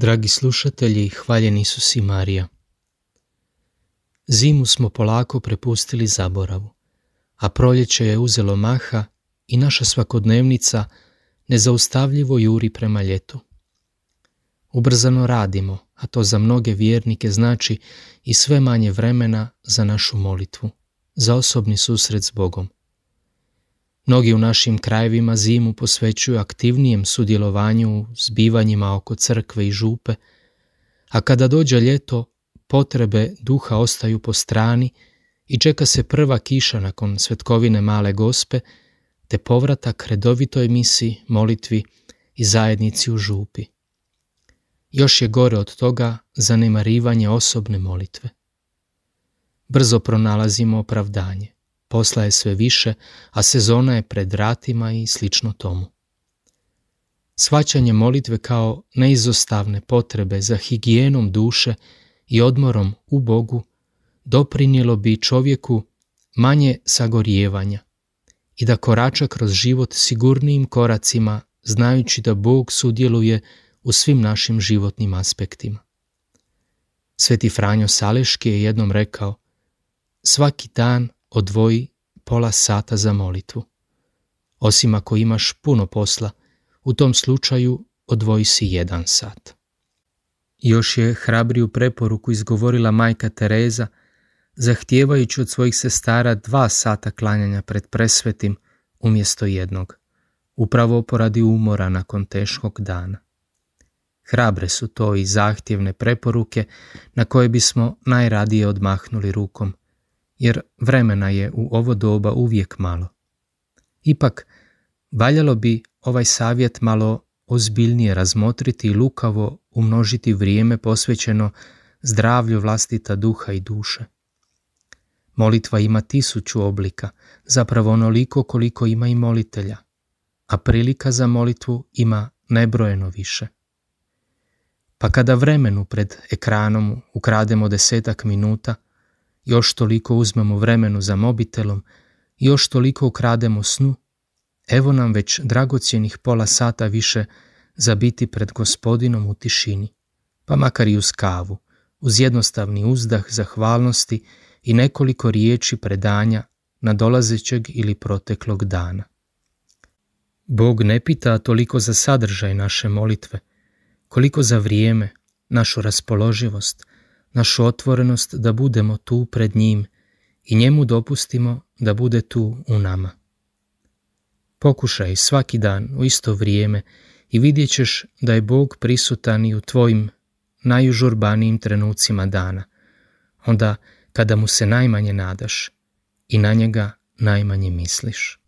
Dragi slušatelji, hvaljen Isus i Marija. Zimu smo polako prepustili zaboravu, a proljeće je uzelo maha i naša svakodnevnica nezaustavljivo juri prema ljetu. Ubrzano radimo, a to za mnoge vjernike znači i sve manje vremena za našu molitvu, za osobni susret s Bogom. Mnogi u našim krajevima zimu posvećuju aktivnijem sudjelovanju u zbivanjima oko crkve i župe, a kada dođe ljeto, potrebe duha ostaju po strani i čeka se prva kiša nakon svetkovine Male Gospe, te povratak redovitoj misi, molitvi i zajednici u župi. Još je gore od toga zanemarivanje osobne molitve. Brzo pronalazimo opravdanje. Posla je sve više, a sezona je pred vratima i slično tomu. Shvaćanje molitve kao neizostavne potrebe za higijenom duše i odmorom u Bogu doprinijelo bi čovjeku manje sagorijevanja i da korača kroz život sigurnijim koracima, znajući da Bog sudjeluje u svim našim životnim aspektima. Sveti Franjo Saleški je jednom rekao: svaki dan odvoji pola sata za molitvu. Osim ako imaš puno posla, u tom slučaju odvoji si 1 sat. Još je hrabriju preporuku izgovorila majka Tereza, zahtijevajući od svojih sestara 2 sata klanjanja pred presvetim umjesto 1, upravo poradi umora nakon teškog dana. Hrabre su to i zahtjevne preporuke na koje bismo najradije odmahnuli rukom, jer vremena je u ovo doba uvijek malo. Ipak, valjalo bi ovaj savjet malo ozbiljnije razmotriti i lukavo umnožiti vrijeme posvećeno zdravlju vlastita duha i duše. Molitva ima 1000 oblika, zapravo onoliko koliko ima i molitelja, a prilika za molitvu ima nebrojeno više. Pa kada vremenu pred ekranom ukrademo 10 minuta, još toliko uzmemo vremenu za mobitelom, još toliko ukrademo snu, evo nam već dragocjenih pola sata više za biti pred Gospodinom u tišini, pa makar i uz kavu, uz jednostavni uzdah zahvalnosti i nekoliko riječi predanja nadolazećeg ili proteklog dana. Bog ne pita toliko za sadržaj naše molitve, koliko za vrijeme, našu raspoloživost, našu otvorenost da budemo tu pred njim i njemu dopustimo da bude tu u nama. Pokušaj svaki dan u isto vrijeme i vidjet ćeš da je Bog prisutan i u tvojim najužurbanijim trenucima dana, onda kada mu se najmanje nadaš i na njega najmanje misliš.